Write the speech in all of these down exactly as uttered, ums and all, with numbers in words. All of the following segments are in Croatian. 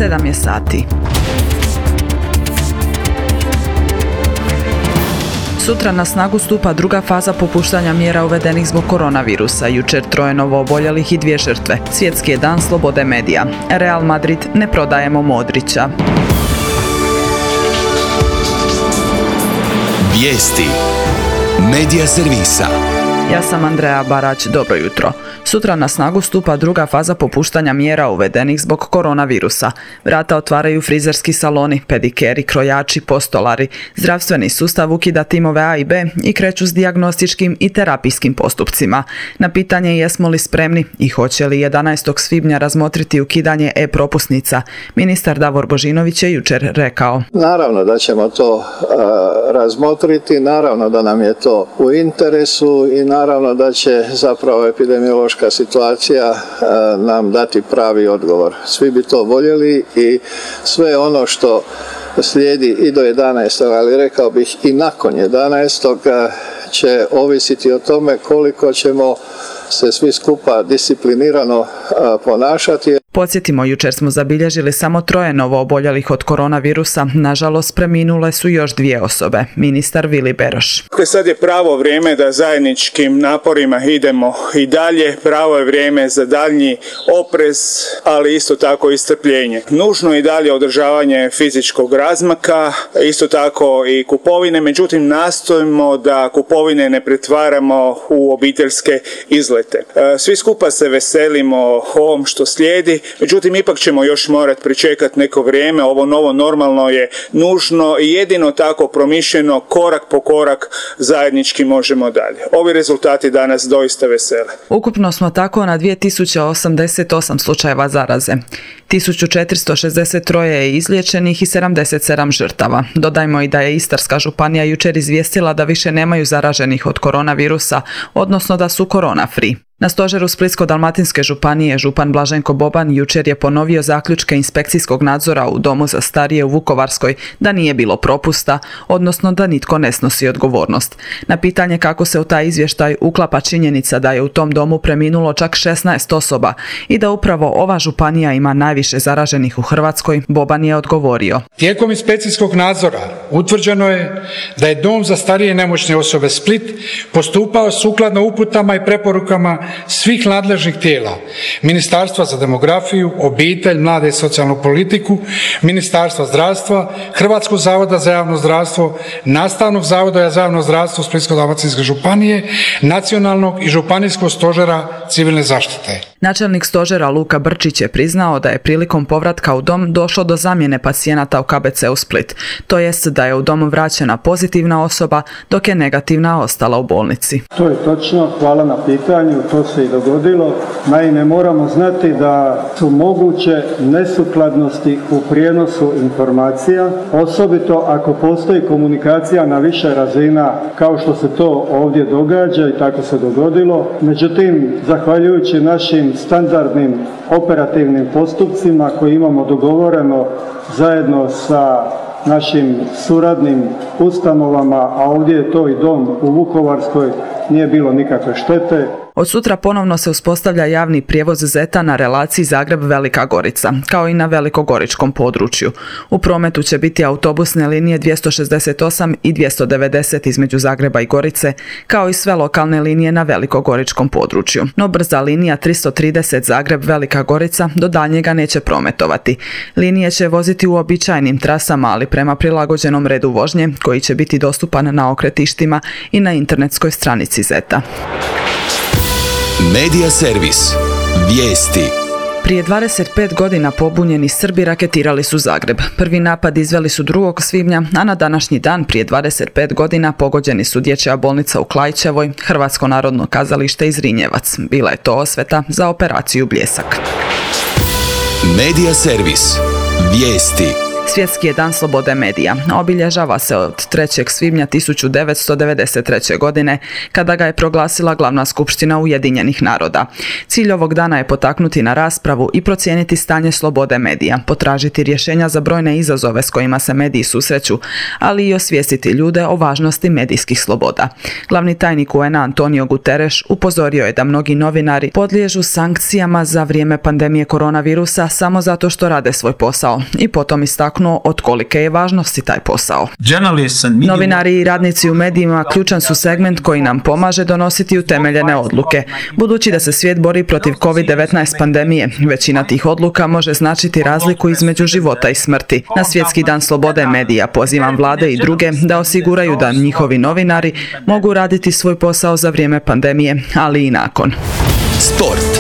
sedam je sati. Sutra na snagu stupa druga faza popuštanja mjera uvedenih zbog koronavirusa. Jučer troje novooboljelih i dvije žrtve. Svjetski je dan slobode medija. Real Madrid ne prodajemo Modrića. Vijesti Medija servisa. Ja sam Andreja Barać, dobro jutro. Sutra na snagu stupa druga faza popuštanja mjera uvedenih zbog koronavirusa. Vrata otvaraju frizerski saloni, pedikeri, krojači, postolari. Zdravstveni sustav ukida timove A i B i kreću s dijagnostičkim i terapijskim postupcima. Na pitanje jesmo li spremni i hoće li jedanaestog svibnja razmotriti ukidanje e-propusnica, ministar Davor Božinović je jučer rekao. Naravno da ćemo to uh, razmotriti, naravno da nam je to u interesu i naravno da će zapravo epidemiološka situacija nam dati pravi odgovor. Svi bi to voljeli i sve ono što slijedi i do jedanaestog ali rekao bih i nakon jedanaestog će ovisiti o tome koliko ćemo se svi skupa disciplinirano ponašati. Podsjetimo, jučer smo zabilježili samo troje novooboljelih od koronavirusa. Nažalost, preminule su još dvije osobe. Ministar Vili Beroš. Sad je pravo vrijeme da zajedničkim naporima idemo i dalje. Pravo je vrijeme za daljnji oprez, ali isto tako i strpljenje. Nužno je i dalje održavanje fizičkog razmaka, isto tako i kupovine. Međutim, nastojimo da kupovine ne pretvaramo u obiteljske izlete. Svi skupa se veselimo ovom što slijedi. Međutim, ipak ćemo još morati pričekati neko vrijeme. Ovo novo normalno je nužno i jedino tako promišljeno, korak po korak zajednički možemo dalje. Ovi rezultati danas doista vesele. Ukupno smo tako na dvije tisuće osamdeset osam slučajeva zaraze. tisuću četiristo šezdeset tri je izliječenih i sedamdeset sedam žrtava. Dodajmo i da je Istarska županija jučer izvijestila da više nemaju zaraženih od koronavirusa, odnosno da su korona free. Na stožeru Splitsko-dalmatinske županije župan Blaženko Boban jučer je ponovio zaključke inspekcijskog nadzora u domu za starije u Vukovarskoj da nije bilo propusta, odnosno da nitko ne snosi odgovornost. Na pitanje kako se u taj izvještaj uklapa činjenica da je u tom domu preminulo čak šesnaest osoba i da upravo ova županija ima najviše zaraženih u Hrvatskoj, Boban je odgovorio. Tijekom inspekcijskog nadzora utvrđeno je da je dom za starije i nemoćne osobe Split postupao sukladno uputama i preporukama svih nadležnih tijela, Ministarstva za demografiju, obitelj, mlade i socijalnu politiku, Ministarstva zdravstva, Hrvatskog zavoda za javno zdravstvo, Nastavnog zavoda za javno zdravstvo Splitsko-dalmatinske županije, Nacionalnog i županijskog stožera civilne zaštite. Načelnik stožera Luka Brčić je priznao da je prilikom povratka u dom došlo do zamjene pacijenata u K B C-u Split, to jest da je u dom vraćena pozitivna osoba, dok je negativna ostala u bolnici. To je točno, hvala na pitanju, to se i dogodilo. Naime, moramo znati da su moguće nesukladnosti u prijenosu informacija, osobito ako postoji komunikacija na više razina, kao što se to ovdje događa i tako se dogodilo. Međutim, zahvaljujući našim standardnim operativnim postupcima koje imamo dogovoreno zajedno sa našim suradnim ustanovama, a ovdje je to i dom u Vukovarskoj, nije bilo nikakve štete. Od sutra ponovno se uspostavlja javni prijevoz Zeta na relaciji Zagreb-Velika Gorica, kao i na velikogoričkom području. U prometu će biti autobusne linije dvjesto šezdeset osam i dvjesto devedeset između Zagreba i Gorice, kao i sve lokalne linije na velikogoričkom području. No brza linija tristo trideset Zagreb-Velika Gorica do daljnjega neće prometovati. Linije će voziti uobičajenim trasama, ali prema prilagođenom redu vožnje, koji će biti dostupan na okretištima i na internetskoj stranici Zeta. Medija servis. Vijesti. Prije dvadeset pet godina pobunjeni Srbi raketirali su Zagreb. Prvi napad izveli su drugog svibnja, a na današnji dan prije dvadeset pet godina pogođeni su Dječja bolnica u Klaićevoj, Hrvatsko narodno kazalište i Zrinjevac. Bila je to osveta za operaciju Bljesak. Medija servis. Vijesti. Svjetski je dan slobode medija. Obilježava se od trećeg svibnja tisuću devetsto devedeset treće. godine, kada ga je proglasila Glavna skupština Ujedinjenih naroda. Cilj ovog dana je potaknuti na raspravu i procijeniti stanje slobode medija, potražiti rješenja za brojne izazove s kojima se mediji susreću, ali i osvijestiti ljude o važnosti medijskih sloboda. Glavni tajnik U N A Antonio Guterres upozorio je da mnogi novinari podliježu sankcijama za vrijeme pandemije koronavirusa samo zato što rade svoj posao i potom istaknuo od kolike je važnosti taj posao. Novinari i radnici u medijima ključan su segment koji nam pomaže donositi utemeljene odluke. Budući da se svijet bori protiv kovid devetnaest pandemije, većina tih odluka može značiti razliku između života i smrti. Na Svjetski dan slobode medija pozivam vlade i druge da osiguraju da njihovi novinari mogu raditi svoj posao za vrijeme pandemije, ali i nakon. Sport.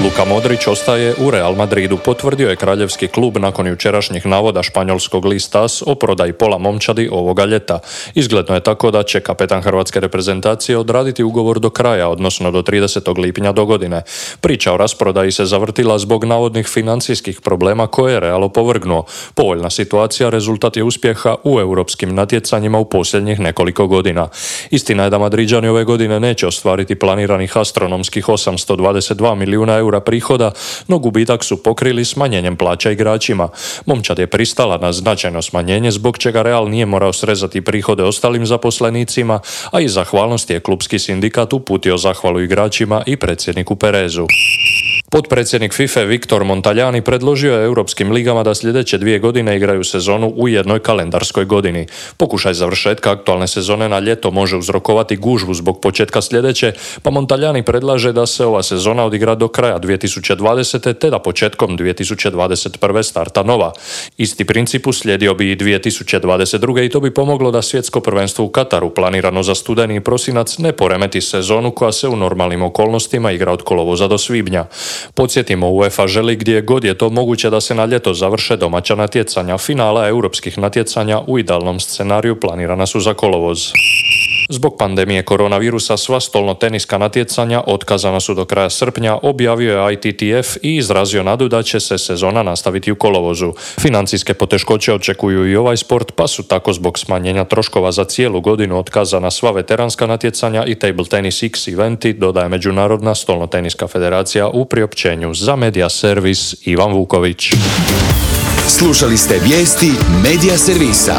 Luka Modrić ostaje u Real Madridu, potvrdio je kraljevski klub nakon jučerašnjih navoda španjolskog lista AS o prodaji pola momčadi ovoga ljeta. Izgledno je tako da će kapetan hrvatske reprezentacije odraditi ugovor do kraja, odnosno do tridesetog lipnja do godine. Priča o rasprodaji se zavrtila zbog navodnih financijskih problema koje je Real opovrgnuo. Povoljna situacija rezultat je uspjeha u europskim natjecanjima u posljednjih nekoliko godina. Istina je da Madriđani ove godine neće ostvariti planiranih astronomskih osamsto dvadeset dva milijuna eura prihoda, no gubitak su pokrili smanjenjem plaća igračima. Momčad je pristala na značajno smanjenje, zbog čega Real nije morao srezati prihode ostalim zaposlenicima, a iz zahvalnosti je klubski sindikat uputio zahvalu igračima i predsjedniku Perezu. Potpredsjednik FIFA Viktor Montaljani predložio je europskim ligama da sljedeće dvije godine igraju sezonu u jednoj kalendarskoj godini. Pokušaj završetka aktualne sezone na ljeto može uzrokovati gužvu zbog početka sljedeće, pa Montaljani predlaže da se ova sezona odigra do kraja dvije tisuće dvadesete. te da početkom dvije tisuće dvadeset prve. starta nova. Isti princip uslijedio bi i dvije tisuće dvadeset druge. i to bi pomoglo da svjetsko prvenstvo u Kataru, planirano za studeni i prosinac, ne poremeti sezonu koja se u normalnim okolnostima igra od kolovoza do svibnja. Podsjetimo, UEFA želi gdje god je to moguće da se na ljeto završe domaća natjecanja. Finala europskih natjecanja u idealnom scenariju planirana su za kolovoz. Zbog pandemije koronavirusa sva stolnoteniska natjecanja otkazana su do kraja srpnja, objavio je I T T F i izrazio nadu da će se sezona nastaviti u kolovozu. Financijske poteškoće očekuju i ovaj sport, pa su tako zbog smanjenja troškova za cijelu godinu otkazana sva veteranska natjecanja i Table Tennis X eventi, dodaje Međunarodna stolnoteniska federacija u priopćenju. Za Media Servis Ivan Vuković. Slušali ste vijesti Media Servisa.